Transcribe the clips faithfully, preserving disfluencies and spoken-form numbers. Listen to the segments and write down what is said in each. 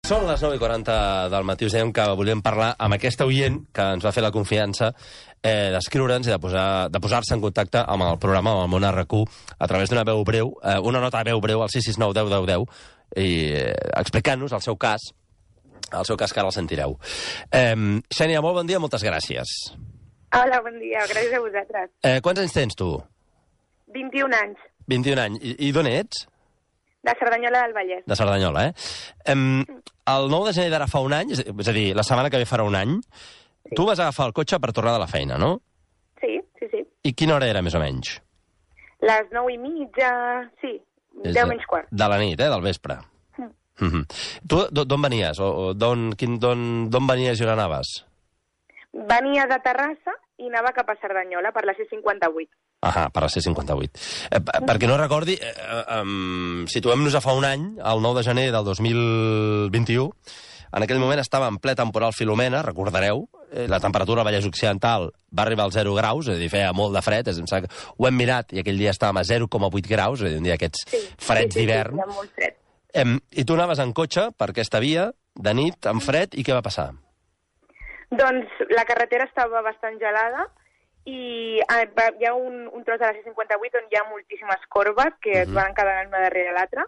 Són les nou i quaranta del matí. Us dèiem que volíem parlar amb aquesta oient que ens va fer la confiança eh, d'escriure'ns i de posar- de posar-se en contacte amb el programa, amb el Món R Q, a través d'una veu breu, eh, una nota de veu breu al sis sis nou deu deu deu, i eh, explicant-nos el seu cas, el seu cas que ara el sentireu. Eh, Xènia, molt bon dia, moltes gràcies. Hola, bon dia. Gràcies a vosaltres. Eh, quants anys tens, tu? vint-i-un anys, vint-i-un anys. I, i d'on ets? de Cerdanyola del Vallès. De Cerdanyola, eh? Em, el nou de gener d'ara fa un any, és és a dir, la setmana que ve farà un any, sí. Tu vas agafar el cotxe per tornar de la feina, no? Sí, sí, sí. I quina hora era, més o menys? Les nou i mitja, sí, És deu de- menys quart. De la nit, eh? Del vespre. Mm. Mhm. Tu d'o- d'on venies? O, o d'on, quin, d'on, d'on venies i on anaves? Venia de Terrassa i anava cap a Cerdanyola per la C cinquanta-vuit. Ahà, per la C cinquanta-vuit. Eh, per- perquè no recordi, eh, eh, um, situem-nos a fa un any, el nou de gener del dos mil vint-i-u, en aquell moment estava en ple temporal Filomena, recordareu, eh, la temperatura al Vallès Occidental va arribar als zero graus, és a dir, feia molt de fred, és, em sembla que ho hem mirat i aquell dia estàvem a zero coma vuit graus, és a dir, un dia d'aquests Sí, freds sí, sí, d'hivern. Sí, hi ha molt fred. Em, I tu anaves en cotxe per aquesta via, de nit, amb fred, i què va passar? Doncs la carretera estava bastant gelada i eh, va- hi ha un, un tros de la C cinquanta-vuit on hi ha moltíssimes corbes que es Mhm. van encadenant una darrere l'altra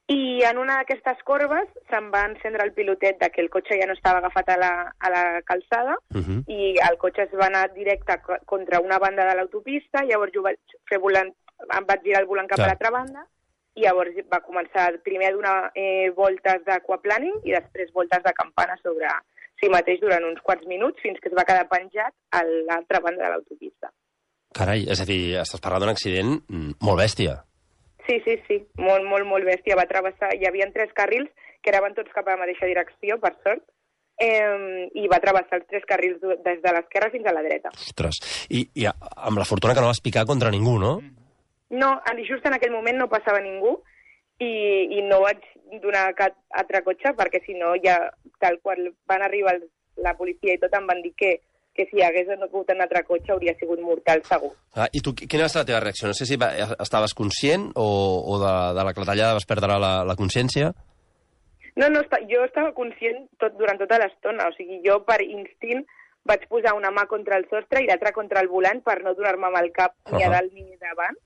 i en una d'aquestes corbes se'm va encendre el pilotet de que el cotxe ja no estava agafat a la, a la calçada Uh -huh. i el cotxe es va anar directe co- contra una banda de l'autopista, llavors jo vaig fer volant, em vaig girar el volant cap Clar. a l'altra banda i llavors va començar primer a donar eh, voltes d'aquaplaning i després voltes de campana sobre si mateix durant uns quants minuts fins que es va quedar penjat a l'altra banda de l'autopista. Carai, és a dir, estàs parlant d'un accident mm, molt bèstia. Sí, sí, sí, molt, molt, molt bèstia. Va travessar, hi havia tres carrils que anaven tots cap a la mateixa direcció, per sort, eh, i va travessar els tres carrils du- des de l'esquerra fins a la dreta. Ostres, i, i a- amb la fortuna que no vas picar contra ningú, no? No, en- just en aquell moment no passava ningú i, i no vaig donar cap altre cotxe perquè si no ja tal qual van arribar el, la policia i tot em van dir que, que si hagués hagut un altre cotxe hauria sigut mortal segur. Ah, I tu, qui- quina va ser la teva reacció? No sé si va, estaves conscient o, o de, de la clatellada vas perdre la, la consciència? No, no, esta- jo estava conscient tot, durant tota l'estona, o sigui, jo per instint vaig posar una mà contra el sostre i l'altra contra el volant per no donar-me amb el cap ni a Ahà. dalt ni davant.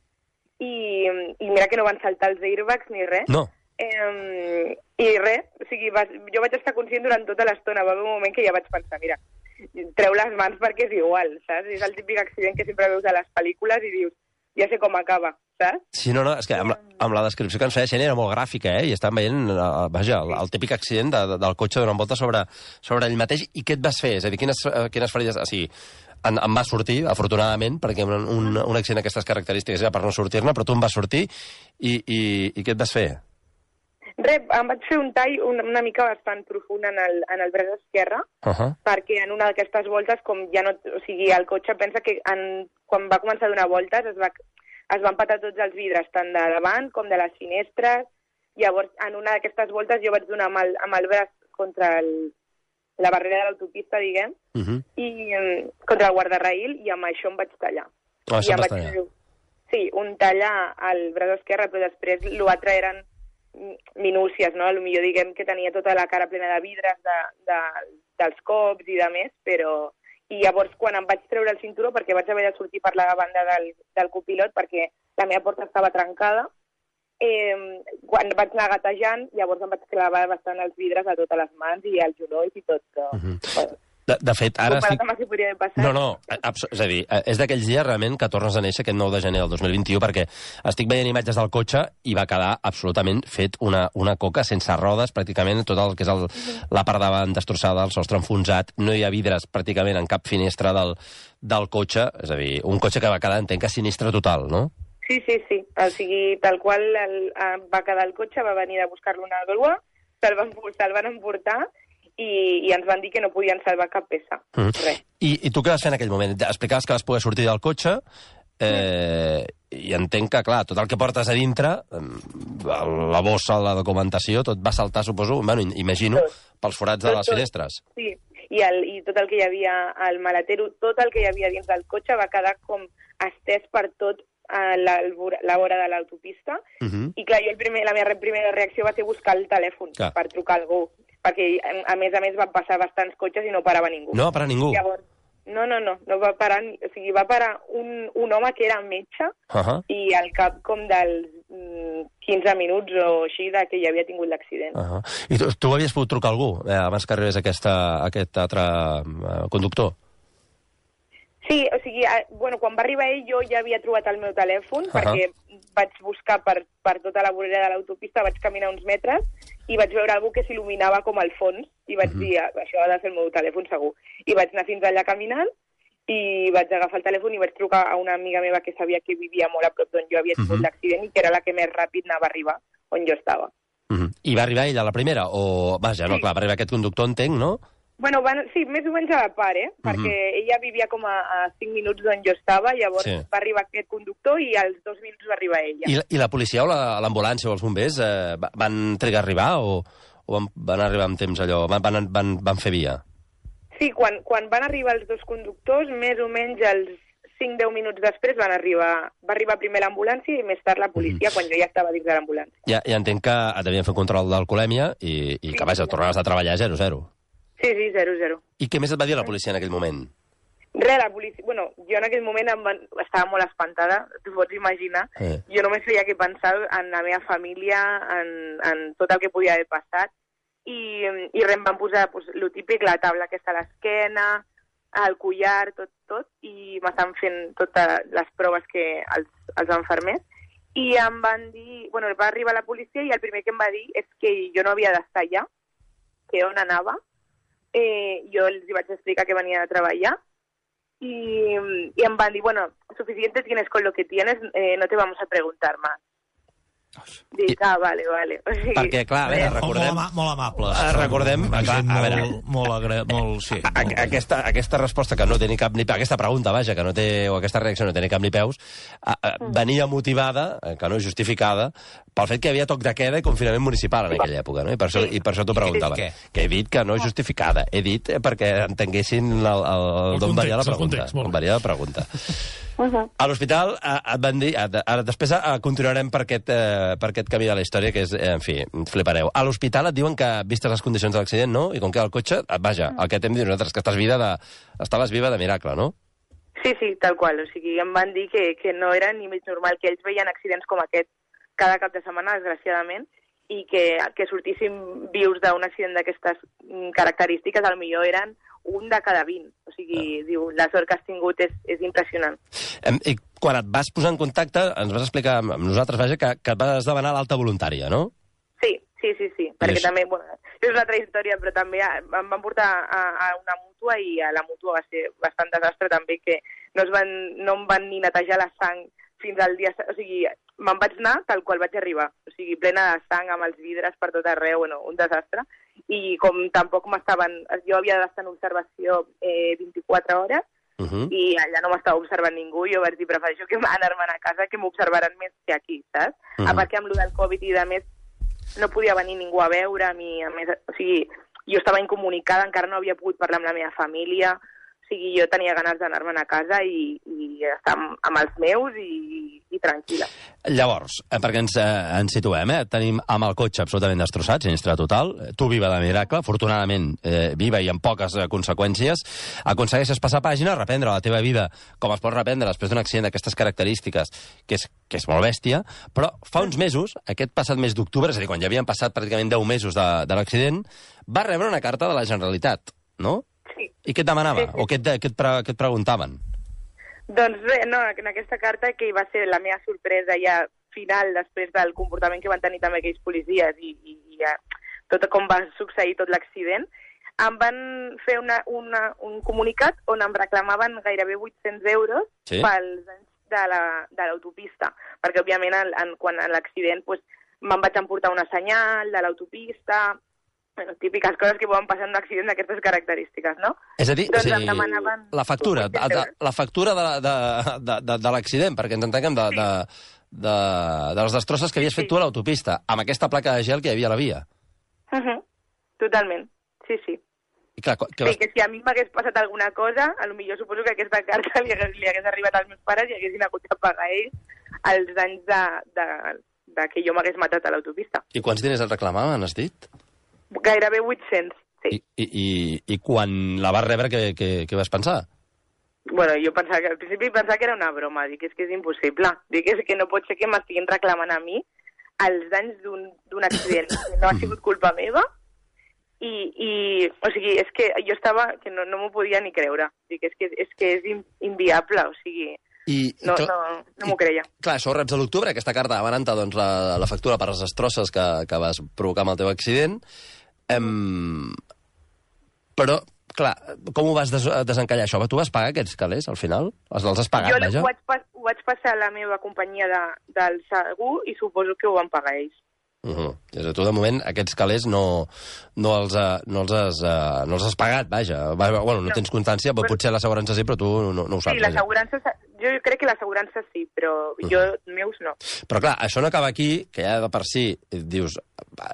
I, I mira que no van saltar els airbags ni res. No. Eh, I res, o sigui, va, jo vaig estar conscient durant tota l'estona. Va haver un moment que ja vaig pensar, mira, treu les mans perquè és igual, saps? És el típic accident que sempre veus a les pel·lícules i dius, ja sé com acaba, saps? Sí, no, no, és que amb la, amb la descripció que ens feia Xènia era molt gràfica, eh? I estàvem veient, eh, vaja, el, el típic accident de, de, del cotxe donant volta sobre, sobre ell mateix. I què et vas fer? És a dir, quines, eh, quines ferides... O sigui, en, em va sortir, afortunadament, perquè un, un, un accident d'aquestes característiques era per no sortir-ne, però tu em vas sortir i, i, i què et vas fer? Res, em vaig fer un tall una, una mica bastant profund en el, en el braç esquerre, Uh -huh. perquè en una d'aquestes voltes, com ja no... O sigui, el cotxe pensa que en, quan va començar a donar voltes es, va, es van patar tots els vidres, tant de davant com de les finestres. Llavors, en una d'aquestes voltes jo vaig donar amb el, amb el braç contra el, la barrera de l'autopista, diguem, Uh -huh. i um, contra el guardarraïl, i amb això em vaig tallar. Ah, això I em em vas vaig tallar. fer, sí, un tall al braç esquerre, però després l'altre eren minúcies, no? Potser diguem que tenia tota la cara plena de vidres de, de, dels cops i de més, però... I llavors, quan em vaig treure el cinturó, perquè vaig haver de sortir per la banda del, del copilot, perquè la meva porta estava trencada, eh, quan vaig anar gatejant, llavors em vaig clavar bastant els vidres a totes les mans i als genolls i tot. Però, Uh -huh. bueno, De, de fet, ara comparat estic... amb el que podria haver passat. No, no, abs- és a dir, és d'aquells dies realment que tornes a néixer aquest nou de gener del dos mil vint-i-u, perquè estic veient imatges del cotxe i va quedar absolutament fet una, una coca sense rodes, pràcticament tot el que és el, la part davant destrossada, el sostre enfonsat, no hi ha vidres pràcticament en cap finestra del, del cotxe, és a dir, un cotxe que va quedar, entenc que sinistre total, no? Sí, sí, sí. O sigui, tal qual el, el, va quedar el cotxe, va venir a buscar-lo una grua, se'l van, se'l van emportar i, i ens van dir que no podien salvar cap peça. Mm. Res. I, I tu què vas fer en aquell moment? Explicaves que vas poder sortir del cotxe eh, i entenc que, clar, tot el que portes a dintre, eh, la bossa, la documentació, tot va saltar, suposo, bueno, imagino, Tot. pels forats de Tot, les tot. finestres. Sí, i, el, i tot el que hi havia al maletero, tot el que hi havia dins del cotxe va quedar com estès per tot a la, la vora de l'autopista, uh -huh. i clar, jo el primer, la meva primera reacció va ser buscar el telèfon clar. per trucar a algú, perquè a més a més van passar bastants cotxes i no parava ningú. No va parar ningú? Llavors, no, no, no, no va parar, o sigui, va parar un, un home que era metge, uh -huh. i al cap com dels mm, quinze minuts o així de que ja havia tingut l'accident. Uh -huh. I tu, tu havies pogut trucar a algú eh, abans que arribés aquesta, aquest altre eh, conductor? Sí, o sigui, bueno, quan va arribar ell jo ja havia trobat el meu telèfon, uh -huh. perquè vaig buscar per, per tota la vorera de l'autopista, vaig caminar uns metres i vaig veure algú que s'il·luminava com al fons i vaig uh -huh. dir, això ha de ser el meu telèfon segur. I vaig anar fins allà caminant i vaig agafar el telèfon i vaig trucar a una amiga meva que sabia que vivia molt a prop d'on jo havia tingut uh -huh. l'accident i que era la que més ràpid anava a arribar on jo estava. Uh -huh. I va arribar ella a la primera? O, vaja, no, sí. clar, va arribar aquest conductor, entenc, no? Bueno, van, sí, més o menys a la part, eh? Perquè uh-huh. ella vivia com a, a cinc minuts d'on jo estava, llavors sí. va arribar aquest conductor i als dos minuts va arribar ella. I la, i la policia o l'ambulància o els bombers eh, van trigar a arribar o, o van, van arribar amb temps allò? Van, van, van, van fer via? Sí, quan, quan van arribar els dos conductors, més o menys els cinc deu minuts després van arribar, va arribar primer l'ambulància i més tard la policia, mm. quan jo ja estava dins de l'ambulància. Ja, ja entenc que devien fer un control d'alcoholèmia i, i sí, que, vaja, tornaves a treballar zero zero. Sí, sí, zero zero. I què més et va dir la policia en aquell moment? Res, la policia... Bueno, jo en aquell moment em van... estava molt espantada, t'ho pots imaginar. Eh. Jo només feia que pensar en la meva família, en, en tot el que podia haver passat, i, i res, em van posar pues, lo típic, la taula aquesta a l'esquena, el collar, tot, tot, i m'estan fent totes les proves que els, els enfermers, i em van dir... Bueno, va arribar la policia i el primer que em va dir és que jo no havia d'estar allà, que on anava. Eh, jo els vaig explicar que venia a treballar y, y em van dir, bueno, suficiente tienes con lo que tienes, eh, no te vamos a preguntar más. Dic, ah, vale, vale. O sigui, perquè, clar, a veure, recordem... Molt, molt amables. Uh, recordem, clar, molt, a veure... Molt, agra... molt, sí. A, a, aquesta, aquesta resposta que no té ni cap ni peus, aquesta pregunta, vaja, que no té, o aquesta reacció no té ni cap ni peus, a, a, venia motivada, que no justificada, pel fet que hi havia toc de queda i confinament municipal en aquella època, no? I per això, i per això t'ho preguntava. Que he dit que no justificada. He dit perquè entenguessin el, el, el d'on venia la pregunta. On venia la pregunta. Uh -huh. A l'hospital et van dir... Ara, després a, continuarem per aquest, eh, per aquest camí de la història, que és, eh, en fi, flipareu. A l'hospital et diuen que, vistes les condicions de l'accident, no? I com queda el cotxe, vaja, el que t'hem dit nosaltres, que estàs viva de, estaves viva de miracle, no? Sí, sí, tal qual. O sigui, em van dir que, que no era ni mig normal, que ells veien accidents com aquest cada cap de setmana, desgraciadament, i que, que sortíssim vius d'un accident d'aquestes característiques, potser eren un de cada vint. O sigui, ah. diu, la sort que has tingut és, és impressionant. I quan et vas posar en contacte, ens vas explicar amb nosaltres, vaja, que, que et vas demanar l'alta voluntària, no? Sí, sí, sí, sí. Perquè també, bueno, és una altra història, però també em van portar a, a una mútua i a la mútua va ser bastant desastre també, que no, es van, no em van ni netejar la sang fins al dia... O sigui, me'n vaig anar tal qual vaig arribar. O sigui, plena de sang, amb els vidres per tot arreu, bueno, un desastre. I com tampoc m'estaven... Jo havia d'estar en observació eh, vint-i-quatre hores, uh -huh. i allà no m'estava observant ningú, jo vaig dir, prefereixo que anar-me'n a casa, que m'observaran més que aquí, saps? Uh -huh. A part que amb lo del Covid i de més no podia venir ningú a veure, a mi, a més, o sigui, jo estava incomunicada, encara no havia pogut parlar amb la meva família, o sigui, jo tenia ganes d'anar-me'n a casa i, i estar amb, amb els meus i, i tranquil·la. Llavors, perquè ens, eh, ens situem, eh? Tenim amb el cotxe absolutament destrossat, sinistre total, tu viva de miracle, afortunadament eh, viva i amb poques eh, conseqüències, aconsegueixes passar pàgina, reprendre la teva vida com es pot reprendre després d'un accident d'aquestes característiques, que és, que és molt bèstia, però fa uns mesos, aquest passat mes d'octubre, és a dir, quan ja havien passat pràcticament deu mesos de, de l'accident, va rebre una carta de la Generalitat, no? Sí. I què et demanava? Sí, sí. O què et, què, et pre, què et preguntaven? Doncs bé, no, en aquesta carta, que va ser la meva sorpresa ja final després del comportament que van tenir també aquells policies i, i, i ja, tot com va succeir tot l'accident, em van fer una, una, un comunicat on em reclamaven gairebé vuit-cents euros sí? pels anys de l'autopista, la, perquè òbviament en, en, quan en l'accident pues, me'n vaig emportar una senyal de l'autopista, bueno, típiques coses que poden passar en un accident d'aquestes característiques, no? És a dir, doncs o sigui, demanaven... la factura, de, de, la factura de, de, de, de, de l'accident, perquè ens entenguem de, sí. de, de, de les destrosses que havies fet sí. tu a l'autopista, amb aquesta placa de gel que hi havia a la via. Uh -huh. Totalment, sí, sí. I clar, que vas... vas... que si a mi m'hagués passat alguna cosa, potser suposo que aquesta carta li hagués, li hagués arribat als meus pares i haguessin hagut de pagar ells els danys de, de, de que jo m'hagués matat a l'autopista. I quants diners et reclamaven, has dit? Gairebé vuit-cents, sí. I, i, i, i quan la vas rebre, què, què, què vas pensar? Bueno, jo pensava que, al principi pensava que era una broma, dic, és que és impossible. Dic, és que no pot ser que m'estiguin reclamant a mi els danys d'un accident que no ha sigut culpa meva. I, i, o sigui, és que jo estava, que no, no m'ho podia ni creure. Dic, és que és, que és inviable, o sigui, I, no, i, no, no m'ho creia. Clar, això reps a l'octubre, aquesta carta demanant-te doncs, la, la factura per les destrosses que, que vas provocar amb el teu accident. Em... Però, clar, com ho vas des desencallar, això? Tu vas pagar aquests calés, al final? Els, els has pagat, jo vaja? Jo ho vaig, pas ho vaig passar a la meva companyia de, del segur i suposo que ho van pagar ells. Uh -huh. És a dir, tu, de moment, aquests calés no, no, els, no, els has, uh, no els has pagat, vaja. Bueno, no, no tens constància, però potser l'assegurança sí, però tu no, no ho saps. Sí, l'assegurança, jo crec que l'assegurança sí, però uh -huh. jo, meus, no. Però clar, això no acaba aquí, que ja de per si dius,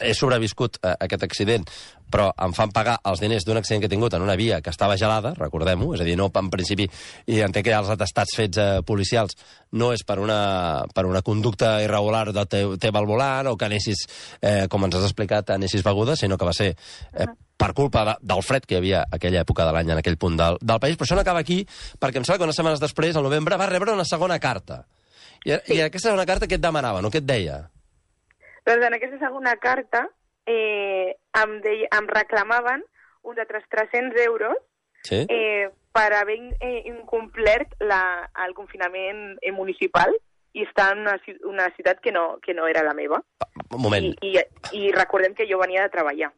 he sobreviscut a aquest accident, però em fan pagar els diners d'un accident que he tingut en una via que estava gelada, recordem-ho, és a dir, no, en principi, i entenc que hi ha els atestats fets eh, policials, no és per una, per una conducta irregular del teu, teu al volant, o que anessis, eh, com ens has explicat, anessis beguda, sinó que va ser eh, per culpa de, del fred que hi havia aquella època de l'any en aquell punt del, del país. Però això no acaba aquí, perquè em sembla que unes setmanes després, al novembre, va rebre una segona carta. I, sí. I aquesta segona carta què et demanava, no? Què et deia? Doncs en aquesta segona carta eh, em, deia, em reclamaven uns altres tres-cents euros sí? eh, per haver eh, incomplert la, el confinament eh, municipal i estar en una, una ciutat que no, que no era la meva. Un moment. I, i, I recordem que jo venia de treballar.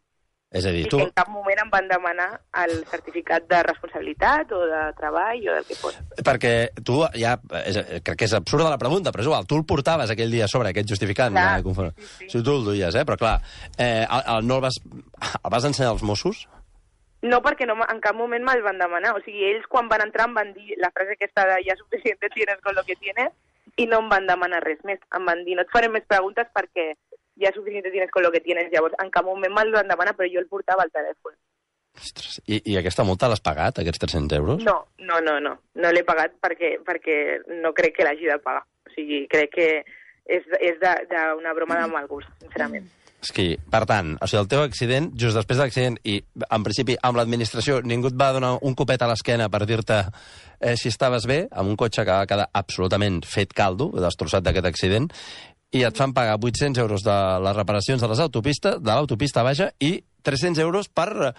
És a dir, I tu... que en cap moment em van demanar el certificat de responsabilitat o de treball o del que fos. Perquè tu ja... És, crec que és absurda la pregunta, però és igual, tu el portaves aquell dia sobre aquest justificant. Clar, eh, sí, sí. Si tu el duies, eh? Però clar, eh, el, el, no el vas... El vas ensenyar als Mossos? No, perquè no, en cap moment me'l van demanar. O sigui, ells quan van entrar em van dir la frase aquesta de ja suficiente tienes con lo que tienes i no em van demanar res més. Em van dir, no et faré més preguntes perquè ja suficiente tienes con lo que tienes. Llavors, en cap moment me'l van demanar, però jo el portava al telèfon. Ostres, i, i aquesta multa l'has pagat, aquests tres-cents euros? No, no, no, no. No l'he pagat perquè, perquè no crec que l'hagi de pagar. O sigui, crec que és, és d'una broma de mal gust, sincerament. És que, per tant, o sigui, el teu accident, just després de l'accident, i en principi amb l'administració ningú et va donar un copet a l'esquena per dir-te eh, si estaves bé, amb un cotxe que va quedar absolutament fet caldo, destrossat d'aquest accident, i et fan pagar vuit-cents euros de les reparacions de les autopistes, de l'autopista, vaja, i tres-cents euros per,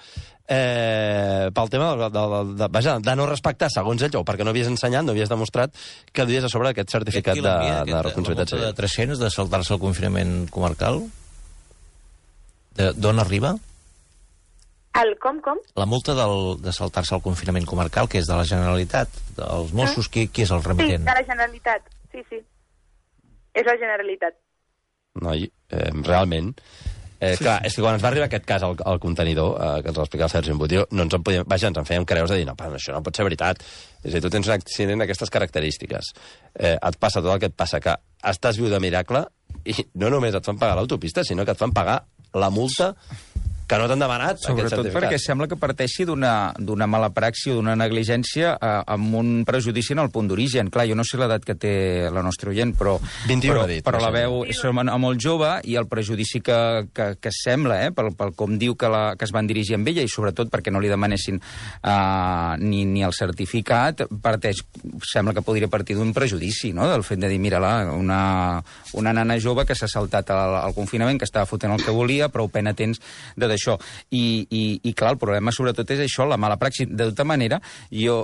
eh, pel tema de, de, de, de, vaja, de no respectar, segons ells, o perquè no havies ensenyat, no havies demostrat que duies a sobre aquest certificat de, de responsabilitat civil. La multa de tres-cents de saltar-se el confinament comarcal? D'on arriba? El com, com? La multa del, de saltar-se el confinament comarcal, que és de la Generalitat, dels Mossos, qui, qui és el remitent? Sí, de la Generalitat, sí, sí. És la Generalitat. Noi, eh, realment... Eh, clar, és que quan ens va arribar aquest cas al, al contenidor, eh, que ens va explicar el Sergi Embutió, no ens en podíem... Vaja, ens en fèiem creus de dir, no, però això no pot ser veritat. És a dir, tu tens un accident d'aquestes característiques. Eh, et passa tot el que et passa, que estàs viu de miracle i no només et fan pagar l'autopista, sinó que et fan pagar la multa que no t'han demanat. Sobretot perquè sembla que parteixi d'una mala praxi o d'una negligència eh, amb un prejudici en el punt d'origen. Clar, jo no sé l'edat que té la nostra oient, però, vint-i-u però, ha dit, però la veu és molt jove i el prejudici que, que, que sembla, eh, pel, pel com diu que, la, que es van dirigir amb ella i sobretot perquè no li demanessin eh, ni, ni el certificat, parteix, sembla que podria partir d'un prejudici, no?, del fet de dir, mira-la, una, una nana jove que s'ha saltat al, al confinament, que estava fotent el que volia, prou pena tens de d'això. I, i, I clar, el problema sobretot és això, la mala praxi. De tota manera, jo,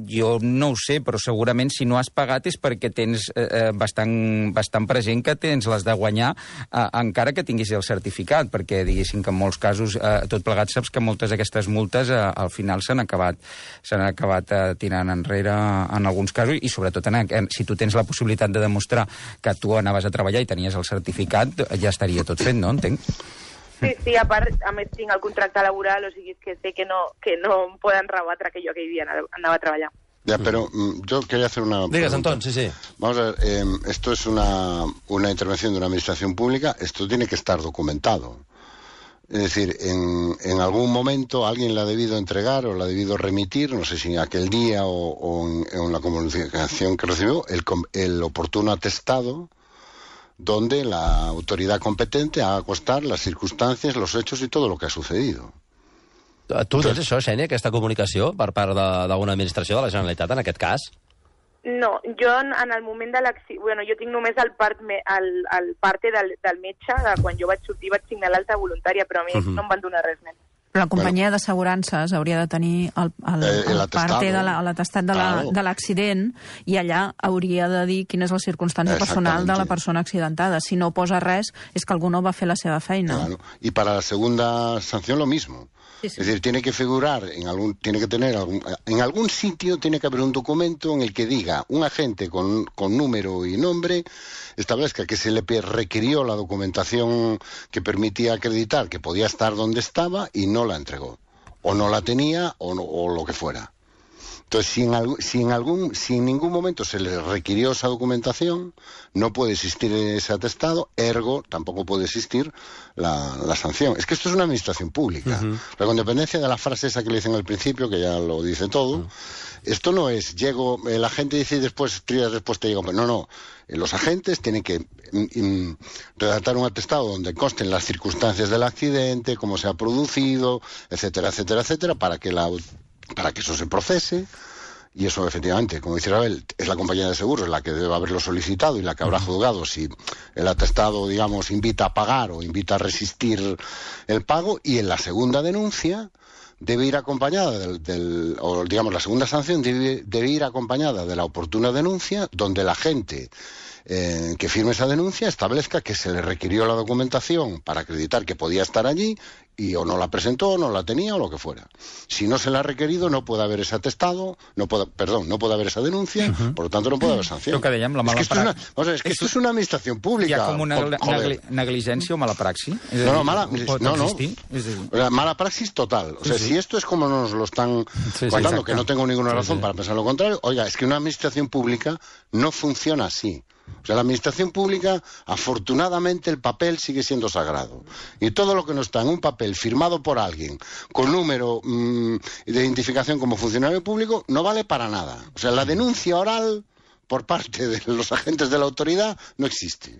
jo no ho sé, però segurament si no has pagat és perquè tens eh, bastant, bastant present que tens les de guanyar eh, encara que tinguis el certificat, perquè diguéssim que en molts casos, eh, tot plegat saps que moltes d'aquestes multes eh, al final s'han acabat, s'han acabat eh, tirant enrere en alguns casos i sobretot en, en, si tu tens la possibilitat de demostrar que tu anaves a treballar i tenies el certificat, ja estaria tot fet, no? Entenc. Sí, sí, a part, a més tinc el contracte laboral, o sigui, que sé que no, que no em poden rebatre que jo aquell dia anava a treballar. Ya, pero mm, yo quería hacer una Digas, pregunta. Antón, sí, sí. Vamos a ver, eh, esto es una, una intervención de una administración pública, esto tiene que estar documentado. Es decir, en, en algún momento alguien la ha debido entregar o la ha debido remitir, no sé si aquel día o, o en, en la comunicación que recibió, el, el oportuno atestado donde la autoridad competente haga constar las circunstancias, los hechos y todo lo que ha sucedido. Tu tens això, Xènia, aquesta comunicació per part d'alguna administració de la Generalitat, en aquest cas? No, jo en, en el moment de l'accident... Bueno, jo tinc només el, part, el, el parte del, del metge, de quan jo vaig sortir vaig signar l'alta voluntària, però a mi uh -huh. no em van donar res més. Però la companyia bueno. d'assegurances hauria de tenir el, el, el, el parte de l'atestat de l'accident la, i allà hauria de dir quina és la circumstància personal de la persona accidentada. Si no posa res, és que algú no va fer la seva feina. Claro. Y para la segunda sanción lo mismo. Sí, sí. Es decir, tiene que figurar, en algún, tiene que tener algún, en algún sitio tiene que haber un documento en el que diga un agente con, con número y nombre establezca que se le requirió la documentación que permitía acreditar que podía estar donde estaba y no la entregó, o no la tenía o, no, o lo que fuera. Entonces, si en, algún, si, en algún, si en ningún momento se le requirió esa documentación, no puede existir ese atestado, ergo tampoco puede existir la, la sanción. Es que esto es una administración pública. Uh-huh. Pero con dependencia de la frase esa que le dicen al principio, que ya lo dice todo, uh-huh. Esto no es, llego, el agente dice y después, tres días después te digo, no, no, los agentes tienen que in, in, redactar un atestado donde consten las circunstancias del accidente, cómo se ha producido, etcétera, etcétera, etcétera, para que la... para que eso se procese, y eso efectivamente, como dice Ravel, es la compañía de seguros la que debe haberlo solicitado y la que habrá juzgado si el atestado, digamos, invita a pagar o invita a resistir el pago, y en la segunda denuncia debe ir acompañada del, del o digamos la segunda sanción debe, debe ir acompañada de la oportuna denuncia, donde la agente eh, que firme esa denuncia establezca que se le requirió la documentación para acreditar que podía estar allí y o no la presentó, o no la tenía, o lo que fuera. Si no se la ha requerido, no puede haber ese atestado, no puede, perdón, no puede haber esa denuncia, uh-huh. Por lo tanto no puede haber sanción. Que dèiem, la mala es que, esto, es una, o sea, es que esto es una administración pública. Hi ha com una negli negligència o mala praxi? No, no, mala, no, no. Mala praxis total. O sea, sí, sí. Si esto es como nos lo están sí, contando, sí, que no tengo ninguna razón sí, sí. para pensar lo contrario, oiga, es que una administración pública no funciona así. O sea, la administración pública, afortunadamente, el papel sigue siendo sagrado. Y todo lo que no está en un papel firmado por alguien, con número mmm, de identificación como funcionario público, no vale para nada. O sea, la denuncia oral por parte de los agentes de la autoridad no existe.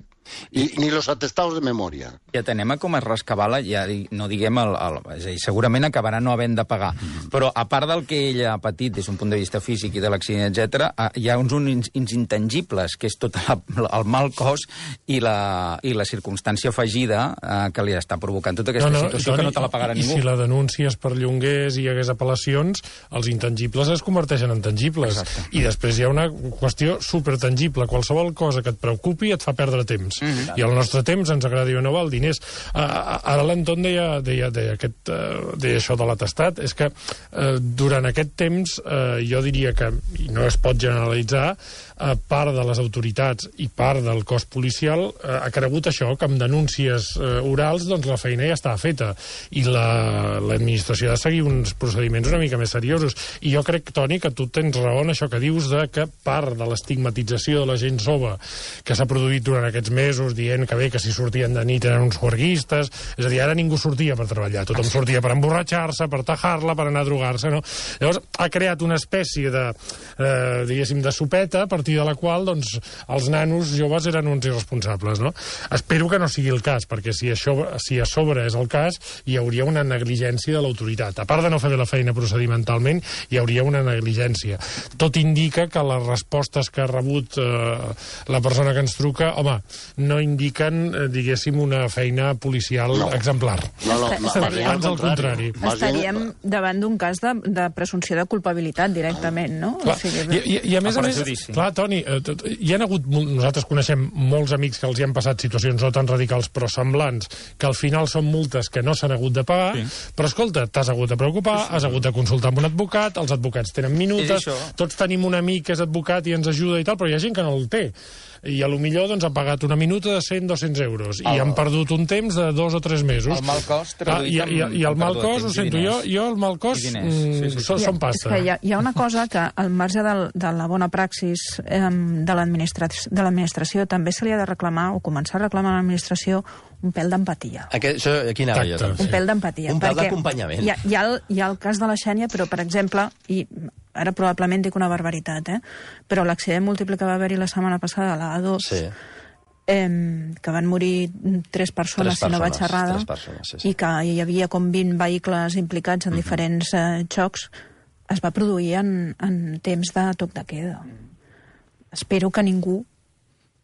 I, ni los atestados de memòria. Ja tenem a com es rescabala, ja no diguem, el, el, és a dir, segurament acabarà no havent de pagar, mm. però a part del que ella ha patit des d'un punt de vista físic i de l'accident, etcètera, hi ha uns, uns, uns intangibles, que és tot la, el mal cos i la, i la circumstància afegida eh, que li està provocant tota aquesta no, no, situació Toni, que no te la pagarà i, ningú. I si la denúncia es perllongués i hi hagués apel·lacions, els intangibles es converteixen en tangibles. Exacte. I després hi ha una qüestió supertangible. Qualsevol cosa que et preocupi et fa perdre temps. Mm-hmm. I el nostre temps, ens agradi o no, val diners. Uh, ara l'Anton deia, deia, deia, aquest, uh, deia això de l'atestat, és que uh, durant aquest temps uh, jo diria que, i no es pot generalitzar, uh, part de les autoritats i part del cos policial uh, ha cregut això, que amb denúncies uh, orals doncs la feina ja estava feta i l'administració la, ha de seguir uns procediments una mica més seriosos. I jo crec, Toni, que tu tens raó en això que dius de que part de l'estigmatització de la gent jove que s'ha produït durant aquests mesos dient que bé, que si sortien de nit eren uns juerguistes, és a dir, ara ningú sortia per treballar, tothom sortia per emborratxar-se, per tajar-la, per anar a drogar-se, no? Llavors ha creat una espècie de, eh, diguéssim, de sopeta, a partir de la qual, doncs, els nanos joves eren uns irresponsables, no? Espero que no sigui el cas, perquè si això, si a sobre és el cas, hi hauria una negligència de l'autoritat. A part de no fer bé la feina procedimentalment, hi hauria una negligència. Tot indica que les respostes que ha rebut eh, la persona que ens truca, home, no indiquen, eh, diguéssim, una feina policial no. exemplar. No, no, no, ans al contrari. Estaríem davant d'un cas de, de presumpció de culpabilitat directament, no? Clar, o sigui, i, i, I a més a, a més, clar, Toni, eh, hi ha hagut, nosaltres coneixem molts amics que els hi han passat situacions no tan radicals però semblants, que al final són multes que no s'han hagut de pagar, sí. Però escolta, t'has hagut de preocupar, sí. Has hagut de consultar amb un advocat, els advocats tenen minutes, tots tenim un amic que és advocat i ens ajuda i tal, però hi ha gent que no el té. I a lo millor doncs, ha pagat una minuta minuta de cent a dos-cents euros, i han perdut un temps de dos o tres mesos. El mal cost traduït ah, i, i, I el mal cost, ho sento, jo, jo el mal cost mm, sí, sí, sí. són pasta. Hi ha, hi ha una cosa que, al marge del, de la bona praxis eh, de l'administració, també se li ha de reclamar, o començar a reclamar a l'administració, un pèl d'empatia. Això, aquí anava jo, també. Un pèl d'empatia. Un pèl d'acompanyament. Hi, hi, ha el, hi ha el cas de la Xènia, però, per exemple, i ara probablement dic una barbaritat, eh? però l'accident múltiple que va haver-hi la setmana passada a la A dos, sí. eh, que van morir tres persones, tres persones si no vaig errada, persones, sí, sí. i que hi havia com vint vehicles implicats en uh-huh. diferents eh, xocs, es va produir en, en temps de toc de queda. Espero que ningú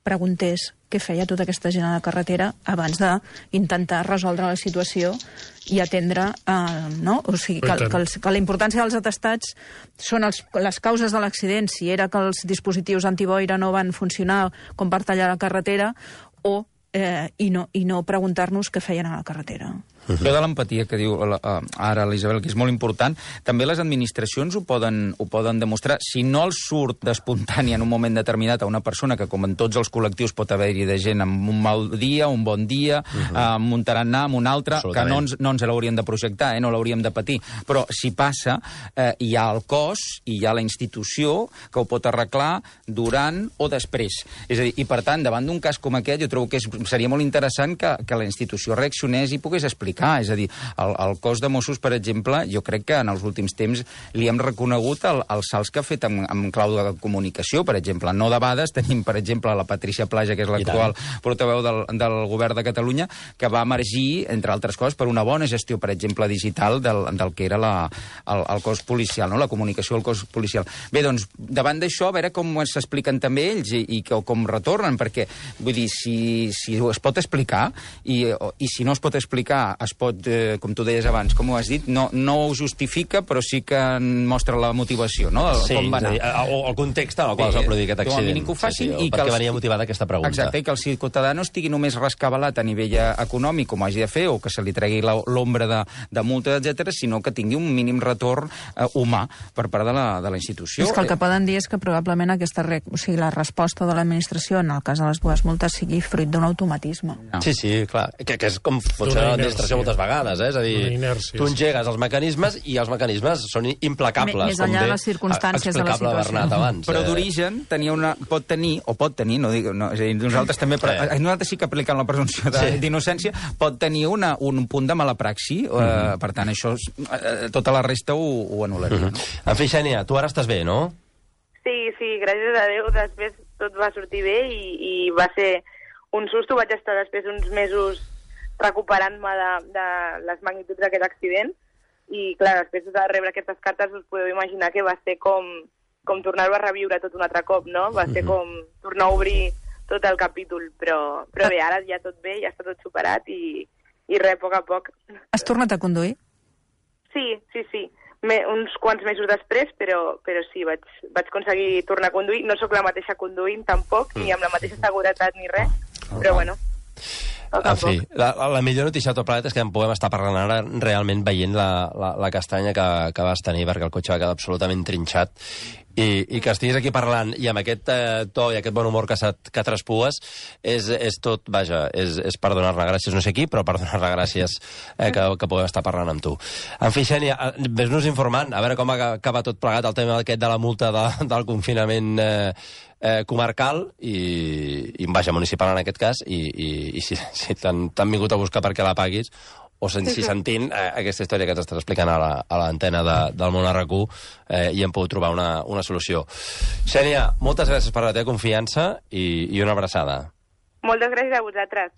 preguntés què feia tota aquesta gent a la carretera abans d'intentar resoldre la situació i atendre, eh, no? O sigui, que, que, els, que la importància dels atestats són els, les causes de l'accident, si era que els dispositius antiboira no van funcionar com per tallar la carretera, o eh, i no, i no preguntar-nos què feien a la carretera. Uh-huh. Això de l'empatia que diu uh, ara l'Isabel, que és molt important, també les administracions ho poden, ho poden demostrar. Si no els surt d'espontani en un moment determinat a una persona, que com en tots els col·lectius pot haver-hi de gent amb un mal dia, un bon dia, uh-huh. uh, amb un tarannà, amb un altre, que no ens, no ens l'hauríem de projectar, eh, no l'hauríem de patir. Però si passa, eh, hi ha el cos i hi ha la institució que ho pot arreglar durant o després. És a dir, i per tant, davant d'un cas com aquest, jo trobo que és, seria molt interessant que, que la institució reaccionés i pogués explicar. És a dir, el, el cos de Mossos, per exemple, jo crec que en els últims temps li hem reconegut el, els salts que ha fet amb, amb clau de comunicació, per exemple. No debades, tenim, per exemple, la Patricia Plaja, que és l'actual portaveu del, del govern de Catalunya, que va emergir, entre altres coses, per una bona gestió, per exemple, digital del, del que era la, el, el cos policial, no? La comunicació del cos policial. Bé, doncs, davant d'això, a veure com s'expliquen també ells i, i com retornen, perquè, vull dir, si, si es pot explicar, i, i si no es pot explicar, es pot, eh, com tu deies abans, com ho has dit, no, no ho justifica, però sí que mostra la motivació, no? Sí, com va anar. O el context en el qual es va produir aquest accident. Que ho facin, sí, sí, i perquè que els... venia motivada aquesta pregunta. Exacte, i que el ciutadà no estigui només rescabalat a nivell econòmic, com hagi de fer, o que se li tregui l'ombra de, de multa, etcètera, sinó que tingui un mínim retorn eh, humà per part de la, de la institució. És que el que poden dir és que probablement aquesta, re... o sigui, la resposta de l'administració en el cas de les dues multes sigui fruit d'un automatisme. No. Sí, sí, clar, que, que és com funciona l'administració moltes vegades, eh? És a dir, inèrcia, tu engegues els mecanismes i els mecanismes són implacables. Més enllà de les circumstàncies de la situació. Abans, però d'origen tenia una, pot tenir, o pot tenir, no dic, no, és a dir, nosaltres també, però, eh. nosaltres sí que aplicant la presumpció d'innocència, sí. pot tenir una, un punt de mala praxi, uh -huh. eh, per tant, això, eh, tota la resta ho, ho anul·laria. Uh -huh. no? En fi, Xènia, tu ara estàs bé, no? Sí, sí, gràcies a Déu, després tot va sortir bé i, i va ser un susto. Vaig estar després uns mesos recuperant-me de, de les magnituds d'aquest accident i, clar, després de rebre aquestes cartes us podeu imaginar que va ser com, com tornar-ho a reviure tot un altre cop, no? Va ser com tornar a obrir tot el capítol, però, però bé, ara ja tot bé, ja està tot superat i, i res, a poc a poc. Has tornat a conduir? Sí, sí, sí. Me, uns quants mesos després, però, però sí, vaig, vaig aconseguir tornar a conduir. No sóc la mateixa conduint, tampoc, ni amb la mateixa seguretat ni res, però bueno... En fi, la, la millor notícia de tot plegat és que en podem estar parlant ara realment veient la, la, la castanya que, que vas tenir, perquè el cotxe va quedar absolutament trinxat. I, i que estiguis aquí parlant i amb aquest eh, to i aquest bon humor que, que traspues és, és tot, vaja, és, és per donar-ne gràcies no sé qui, però per donar-ne gràcies eh, que, que podem estar parlant amb tu. En fi, Xènia, ves-nos informant a veure com acaba tot plegat el tema aquest de la multa de, del confinament eh, eh, comarcal i, i vaja, municipal en aquest cas i, i, i si, si t'han vingut a buscar perquè la paguis o si sentint eh, aquesta història que ens estàs explicant a l'antena la, de, del Món R Q eh, i hem pogut trobar una, una solució. Xènia, moltes gràcies per la teva confiança i, i una abraçada. Moltes gràcies a vosaltres.